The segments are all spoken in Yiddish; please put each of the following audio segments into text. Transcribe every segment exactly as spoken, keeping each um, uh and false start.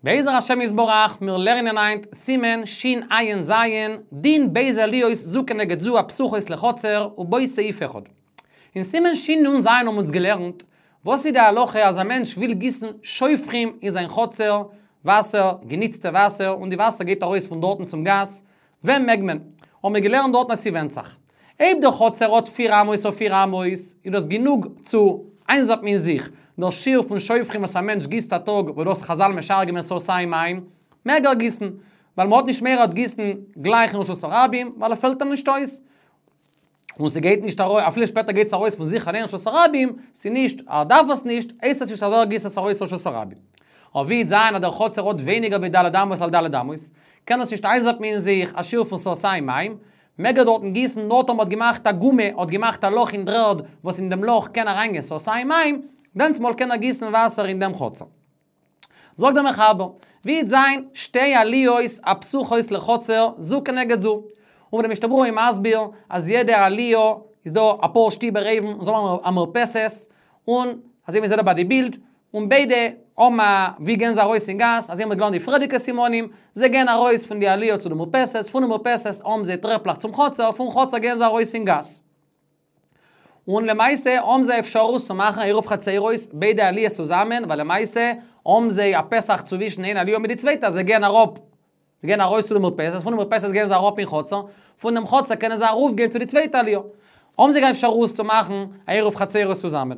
בעזר השם יתברך, מיר לערנען היינט סימן שע"ז, דין ב' עליות זו כנגד זו הפתוחות לחצר ובו סעיף אחד. אין סימן שנ"ז האבן אונז געלערנט, וואס איז די הלכה אז א מענטש וויל גיסן שופכים אין זיין חצר, וואסער, געניצטע וואסער, און די וואסער גייט ארויס פון דארטן צום גאס, ווען מעג מען? האבן מיר געלערנט דארטן אז ס'ווענדט זיך. אויב דער חצר האט פיר אמות אויף פיר אמות, איז דאס גענוג צו איינזאפן אין זיך דער שיעור פון שופכים וואס א מענטש גיסט א טאג, וואס דאס חזל משער געווען סאתים מים, מעג ער גיסן, ווייל מ'האט נישט מורא ער וועט גיסן גלייך אין רשות הרבים, ווייל ער פעלט אים נישט אויס. און ס'גייט נישט ארויס, אפילו שפעטער גייט עס ארויס פון זיך אליין רשות הרבים, ס'נישט, ער דארף עס נישט, הייסט עס נישט אז ער גיסט עס ארויס רשות הרבים. אבער ווי וועט זיין אז דער חצר האט ווייניגער ווי ד' אמות על ד' אמות, קען עס נישט איינזאפן אין זיך א שיעור פון סאתים מים, מעג ער דארטן גיסן נאר טאמער האט געמאכט א גומא, האט געמאכט א לאך אין דר'ערד וואס אין דעם לאך קען אריינגיין סאתים מים, דענסטמאל קען ער גיסן וואסער אין דעם חצר. זאגט דער מחבר, ווי וועט זיין שתי עליות הפתוחות לחצר זו כנגד זו. און דער משנה ברורה איז מסביר אז יעדע עליה איז דא אפאר שטיבער אויבן און זיי האבן א מרפסת, און אזוי ווי מ'זעט דא ביי די בילד, און ביידע האבן א ווי גייען זיי ארויס אין גאס, אזוי האבן מיר געלערנט די פריערדיגע סימנים, זיי גייען ארויס פון די עליה צו די מרפסת, פון די מרפסת האבן זיי טרעפלעך צום חצר, פון חצר גייען זיי ארויס אין גאס. און למעשה האבן זיי אפשרות צו מאכן עירוב חצירות ביידע עליות צוזאמען, ווייל למעשה האבן זיי א פתח צווישן איין עליה מיט די צווייטע, זיי גייען אראפ, זיי גייען ארויס צו די מרפסת, פון די מרפסת גייען זיי אראפ אין חצר, פון דעם חצר קענען זיי ארויף גיין צו די צווייטע עליה. האבן זיי קיין אפשרות צו מאכן א עירוב חצירות צוזאמען.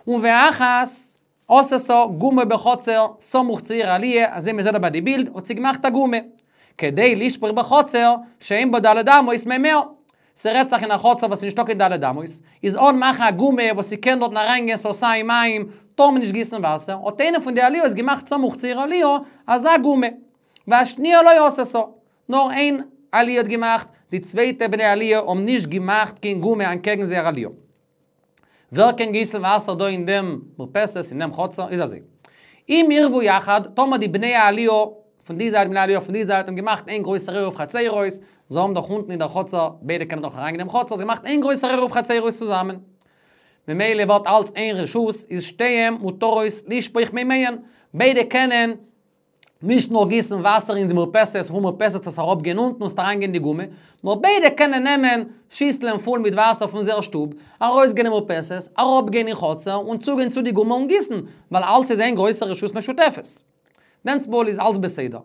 און ואחת עשתה גומא בחצר סמוך צו איר עליה, אזוי מ'זעט דא ביי די בילד, האט זי געמאכט א גומא. כדי לשפוך בחצר שאין בה ד' אמות מימיה. ס'רעדט זיך אין א חצר וואס איז נישטא קיין ד' אמות, איז אן מאכן א גומא וואס ס'קען דארטן אריינגיין סאתים מים, טאר מען נישט גיסן וואסער, האט איינע פון די עליות געמאכט סמוך צו איר עליה אזא גומא. והשניה לא עשתה, נאר איין עליה האט געמאכט, די צווייטע בני עליה האבן נישט געמאכט קיין גומא אנטקעגן זייער עליה. ווער קען גיסן וואסער דא אין דעם מרפסת, אין דעם חצר, איז אזוי. אם עירבו יחד, טאמער די בני העליה פון די זייט בני העליה פון די זייט האבן געמאכט איין גרויסער עירוב חצירות, זיי האבן דאך אונטן אין דער חצר, ביידע קענען דאך אריינגיין אין דעם חצר, זיי געמאכט איין גרויסער עירוב חצירות צוזאמען. ממילא ווערט אלץ איין רשות, איז שתיהן מותרות לשפוך מימיהן, ביידע קענען נישט נאר גיסן וואסער אין די מרפסת, פון מרפסת עס אראפגיין אונטן און עס אריינגיין אין די גומא, נאר ביידע קענען נעמען שיסלען פול מיט וואסער פון זייער שטוב, ארויסגיין אין מרפסת, אראפגיין אין חצר און צוגיין צו די גומא און גיסן, ווייל אלץ איז איין גרויסע רשות משותפת. דענסטמאל איז אלץ בסדר.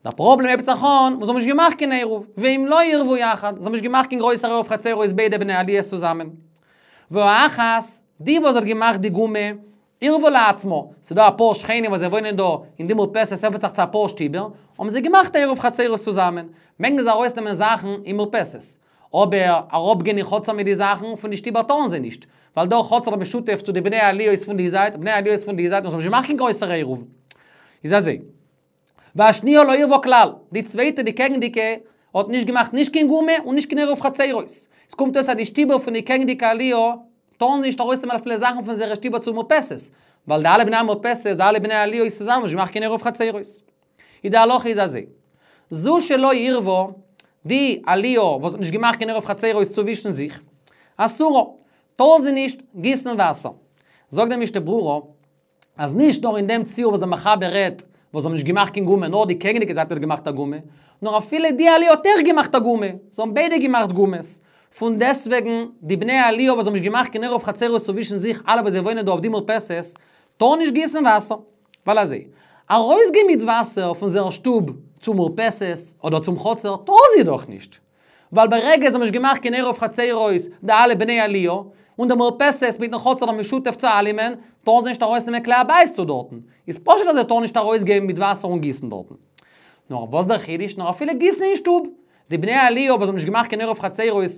דער פראבלעם הייבט זיך אן, וואס זיי האבן נישט געמאכט קיין עירוב, ואם לא עירבו יחד, זיי האבן נישט געמאכט קיין גרויסער עירוב חצירות ביידע בני עליות צוזאמען. והאחת, די וואס האט געמאכט די גומא, עירבה לעצמה, ס'איז דא אפאר שכנים וואס זיי וואוינען דא אין די מרפסת עפענט זיך צו אפאר שטיבער, האבן זיי געמאכט א עירוב חצירות צוזאמען, מעגן זיי ארויסנעמען זאכן אין מרפסת, אבער אראפגיין אין חצר מיט די זאכן פון די שטיבער טארן זיי נישט, ווייל דער חצר איז משותף צו די בני עליות פון די זייט, בני עליות פון די זייט, און זיי האבן נישט געמאכט קיין גרויסער עירוב. איז אזוי. והשניה לא עירבה כלל, די צווייטע די קעגנדיגע האט נישט געמאכט נישט קיין גומא און נישט קיין עירוב חצירות. עס קומט אויס אז די שטיבער פון די קעגנדיגע עליה טארן נישט ארויסנעמען אפילו זאכן פון זייערע שטיבער צו מרפסת, ווייל די אלע בני המרפסת, די אלע בני העליות צוזאמען האבן נישט געמאכט קיין עירוב חצירות. איז די הלכה איז אזוי. זו שלא עירבה, די עליה וואס האט נישט געמאכט קיין עירוב חצירות צווישן זיך, אסורה, טאר זי נישט גיסן וואסער. זאגט דער משנה ברורה, אז נישט נאר אין דעם ציור וואס דער מחבר רעדט, וואס האבן נישט געמאכט קיין גומא, נאר די קעגנדיגע זייט האט געמאכט א גומא, נאר אפילו די עליה האט אויך געמאכט א גומא, זיי האבן ביידע געמאכט גומות. פון דעסטוועגן, די בני העליה וואס האבן נישט געמאכט קיין עירוב חצירות צווישן זיך אלע וואס זיי וואוינען דא אויף די מרפסת, טארן נישט גיסן וואסער. ווייל אזוי, ארויסגיין מיט וואסער פון זייער שטוב צום מרפסת אדער צום חצר טארן זיי דאך נישט. ווייל ברגע זיי האבן נישט געמאכט קיין עירוב חצירות די אלע בני עליה, און די מרפסת מיטן חצר איז משותף צו אלעמען, טארן זיי נישט ארויסנעמען כלי הבית צו דארטן. איז פשוט אז זיי טארן נישט ארויסגיין מיט וואסער און גיסן דארטן. נאר וואס דער חידוש? נאר אפילו גיסן אין שטוב. די בני עליה וואס האבן נישט געמאכט קיין עירוב חצירות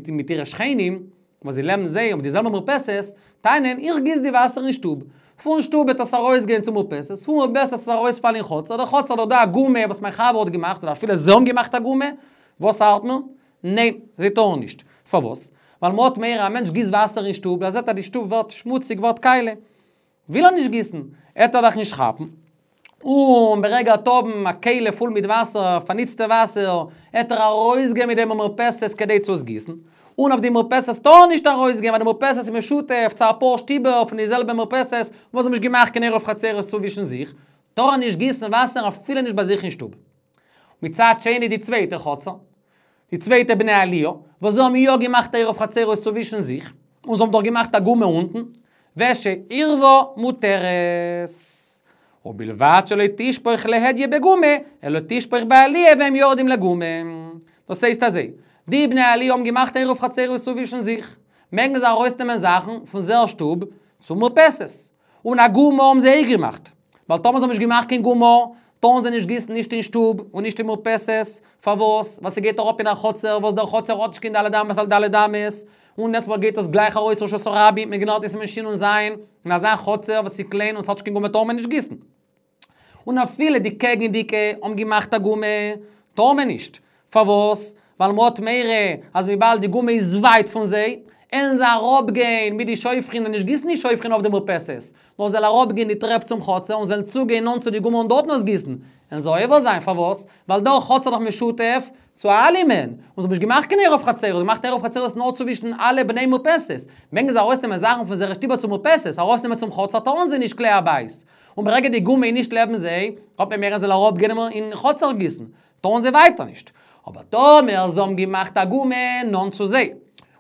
מיט אירע שכנים, וואס זיי לעבן זיי אויף די זעלבע מרפסת, טענה'ן, איך גיס די וואסער אין שטוב. פון שטוב וועט עס ארויסגיין צום מרפסת, פון מרפסת וועט עס ארויספאלן אין חצר, דער חצר האט דא א גומא וואס מיין חבר האט געמאכט, אדער אפילו זיי האבן געמאכט א גומא, וואס ארט מיר? ניין, זיי טארן נישט. פארוואס? ווייל מ'האט מורא א מענטש גיסט וואסער אין שטוב, ער זעט אז די שטוב ווערט שמוציג, ווערט קאליע. וויל ער נישט גיסן, עט ער דאך נישט כאפן. און ברגע ער עט האבן א כלי פול מיט וואסער, פארניצטע וואסער, עט ער ארויסגיין מיט דעם אין מרפסת כדי צו עס גיסן. און אויף די מרפסת טאר ער נישט ארויסגיין ווייל די מרפסת איז משותף צו אפאר שטיבער פון די זעלבע מרפסת וואס האבן נישט געמאכט קיין עירוב חצירות צווישן זיך, טאר נישט גיסן וואסער אפילו נישט ביי זיך אין שטוב. מצד שני די צווייטע חצר, די צווייטע בני עליה, וואס זיי האבן יא געמאכט עירוב חצרות צווישן זיך, און זיי האבן דאך געמאכט א גומא אונטן, ושעירבה מותרת. ובלבד שלא תשפוך להדיא בגומא, אלא תשפוך בעליה והם יורדים לגומא. דאס הייסט אזוי, די בני עליה האבן געמאכט עירוב חצרות צווישן זיך, מעגן זיי ארויסנעמען זאכן פון זייער שטוב צום מרפסת. און א גומא האבן זיי אויך געמאכט. ווייל טאמער זיי האבן נישט געמאכט קיין גומא, טארן זיי נישט גיסן נישט אין שטוב און נישט אין מרפסת, פארוואס? ווייל ס'גייט אראפ אין א חצר וואס דער חצר האט נישט קיין ד' אמות על ד' אמות, און דענסטמאל גייט עס גלייך ארויס רשות הרבים, מ'האט געלערנט אין סימן שנ"ז, אין אזא חצר וואס איז קליין און ס'האט נישט קיין גומא טאר מען נישט גיסן. און אפילו די קעגנדיקע האבן געמאכט א גומא, טאר מען נישט. פארוואס? ווייל מ'האט מורא אז וויבאלד די גומא איז ווייט פון זיי, וועלן זיי אראפגיין מיט די שופכין און נישט גיסן די שופכין אויף די מרפסת, נאר זיי וועלן אראפגיין די טרעפ צום חצר און זיי וועלן צוגיין נאנט צו די גומא און דארטן אויסגיסן. וועלן זיי עובר זיין, פארוואס? ווייל דער חצר איז דאך משותף צו אלעמען, און זיי האבן נישט געמאכט קיין עירוב חצרות, זיי האבן געמאכט עירוב חצרות נאר צווישן אלע בני מרפסת. מעגן זיי ארויסנעמען זאכן פון זייערע שטיבער צום מרפסת, ארויסנעמען צום חצר טארן זיי נישט כלי הבית. און ברגע די גומא איז נישט לעבן זיי, האט מען מורא זיי וועלן אראפגיין אין חצר גיסן, טארן זיי ווייטער נישט. אבער טאמער זיי האבן געמאכט א גומא נאנט צו זיי,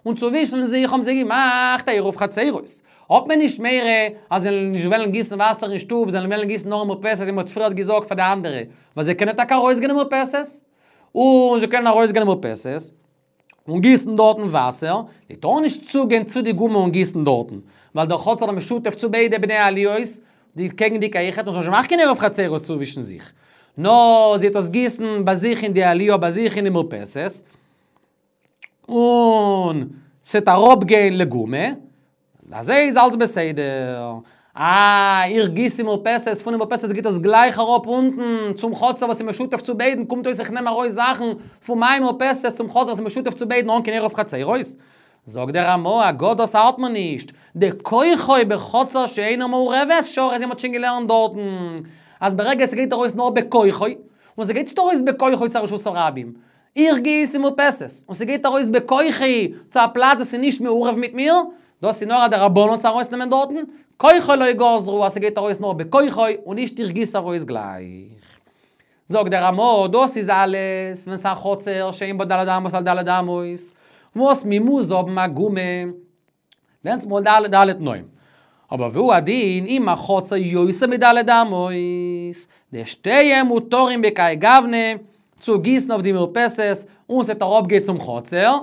און צווישן זיך האבן זיי געמאכט א עירוב חצרות, האט מען נישט מורא אז זיי וועלן נישט וועלן גיסן וואסער אין שטוב, זיי וועלן וועלן גיסן נאר אין מרפסת ווי מען האט פריערט געזאגט פאר די אנדערע, ווייל זיי קענען טאקע ארויסגיין אין מרפסת, און זיי קענען ארויסגיין אין מרפסת און גיסן דארטן וואסער, זיי טארן נישט צוגיין צו די גומא און גיסן דארטן, ווייל דער חצר איז משותף צו ביידע בני עליות, די קעגנדיקע אויכעט, און זיי האבן נישט געמאכט קיין עירוב חצרות צווישן זיך, נאר זי וועט עס גיסן ביי זיך אין די עליה ביי זיך אין די מרפסת, און ס'וועט אראפגיין לגומא, אזוי איז אלץ בסדר. אה, איך גיס אין מרפסת, פון די מרפסת גייט עס גלייך אראפ אונטן צום חצר וואס איז משותף צו ביידן, קומט אויס איך נעם ארויס זאכן פון מיין מרפסת צום חצר וואס איז משותף צו ביידן אן קיין עירוב חצרות. זאגט דער רמ"א, הגה דאס ארט מיר נישט, דכוחו בחצר שאינה מעורבת, שרי, אזוי מ'האט שוין געלערנט דארטן, אז ברגע ס'גייט ארויס נאר בכוחו, און ס'גייט נישט ארויס בכוחו צו רשות הרבים, איך גיס אין מרפסת, און ס'גייט ארויס בכוחי צו א פלאץ וואס איז נישט מעורב מיט מיר, דאס איז נאר א דרבנן צו ארויסנעמען דארטן, כוחו לא גזרו אז ס'גייט ארויס נאר בכוחו און נישט איך גיס ארויס גלייך. זאגט דער רמ"א, דאס איז אלעס ווען ס'איז א חצר שאין בה ד' אמות על ד' אמות, וואס מ'מוז האבן א גומא, דענסמאל ד' תנאים. אבער והוא הדין אם החצר יותר מד' אמות, דשתיהם מותרים בכהאי גוונא, צו גיסן אויף די מרפסת און ס'וועט אראפגיין צום חצר,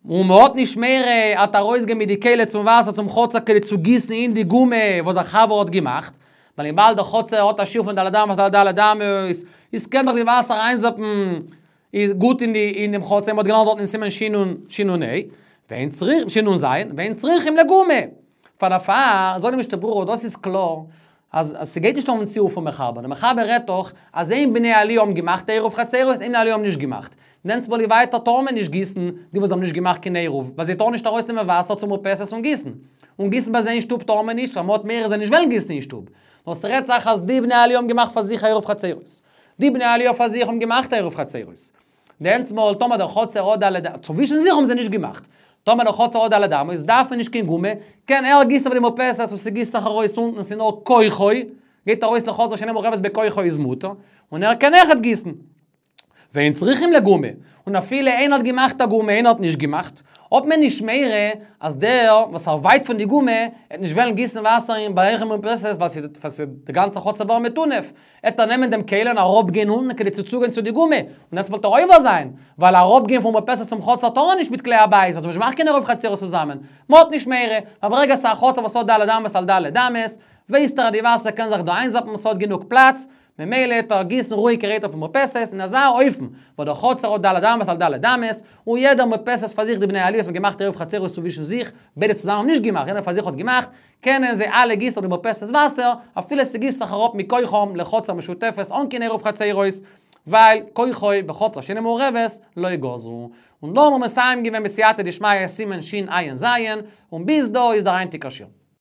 און מ'האט נישט מורא ער'ט ארויסגיין מיט די כלי צום וואסער צום חצר כדי צו גיסן אין די גומא וואס דער חבר האט געמאכט, ווייל וויבאלד דער חצר האט א שיעור פון ד' אמות על ד' אמות, איז קען דאך די וואסער איינזאפן איז גוט אין די אין דעם חצר, מ'האט געלערנט דארט אין סימן שנ"ה, ואין צריכים, שנ"ז, ואין צריכים לגומא. פאר דערפאר, זאגט די משנה ברורה, דאס איז קלאר, אז ס'גייט נישט אויפן ציור פון מחבר, דער מחבר רעדט דאך אז איין בני עליה האבן געמאכט עירוב חצרות, איין בני עליה האבן נישט געמאכט. דענסמאל ווייטער טאר מען נישט גיסן, די וואס האבן נישט געמאכט קיין עירוב, ווייל זיי טארן נישט ארויסנעמען וואסער צום מרפסת און גיסן. און גיסן ביי זיי אין שטוב טאר מען נישט, ווייל מ'האט מורא זיי נישט וועלן גיסן אין שטוב. נאר ס'רעדט זיך אז די בני עליה האבן געמאכט פאר זיך עירוב חצרות. די בני עליה פאר זיך האבן געמאכט עירוב חצרות. דענסמאל טאמער דער חצר האט ד', צווישן זיך האבן זיי נישט געמאכט. טאמער דער חצר האט ד' אמות, דארף מען נישט קיין גומא, קען ער גיסן אויף די מרפסת וואס ס'גיסט זיך ארויס אונטן, ס'איז נאר כוחו, גייט ארויס לחצר שאינה מעורבת בכוחו איז מותר, און ער קען אויכעט גיסן. ואין צריכים לגומא, און אפילו איינער האט געמאכט א גומא איינער האט נישט געמאכט, האט מען נישט מורא אז דער וואס ער ווייט פון די גומא עט נישט וועלן גיסן וואסער אין ביי זיך אין מרפסת ווייל ס'איז די גאנצע חצר ווערן מטונף, עט ער נעמען דעם כלי און אראפגיין אונטן כדי צו צוגיין צו די גומא, און דענסמאל וועט ער עובר זיין, ווייל אראפגיין פון מרפסת צום חצר טאר ער נישט מיט כלי הבית, ווייל זיי האבן נישט געמאכט קיין עירוב חצרות צוזאמען, מ'האט נישט מורא, ווייל ברגע ס'איז א חצר וואס האט ד' אמות על ד' אמות, ווייסט ער אז די וואסער קען זיך דא איינזאפן ס'האט גענוג פלאץ, ממילא עט ער גיסן רואיגערהייט אויפן מרפסת אין אזא אופן וואס דער חצר האט ד' אמות על ד' אמות, און יעדער מרפסת פאר זיך די בני עליות האבן געמאכט עירוב חצרות צווישן זיך, ביידע צוזאמען האבן נישט געמאכט, יעדער פאר זיך האט געמאכט, קענען זיי אלע גיסן אויף די מרפסת וואסער, אפילו ס'גיסט זיך אראפ מכוחם לחצר משותפת אן קיין עירוב חצרות, ווייל כוחו בחצר שאינה מעורבת לא גזרו. און דא האבן מיר מסיים געווען בסייעתא דשמיא סימן שע"ז, און ביז דא איז דער היינטיגער שיעור.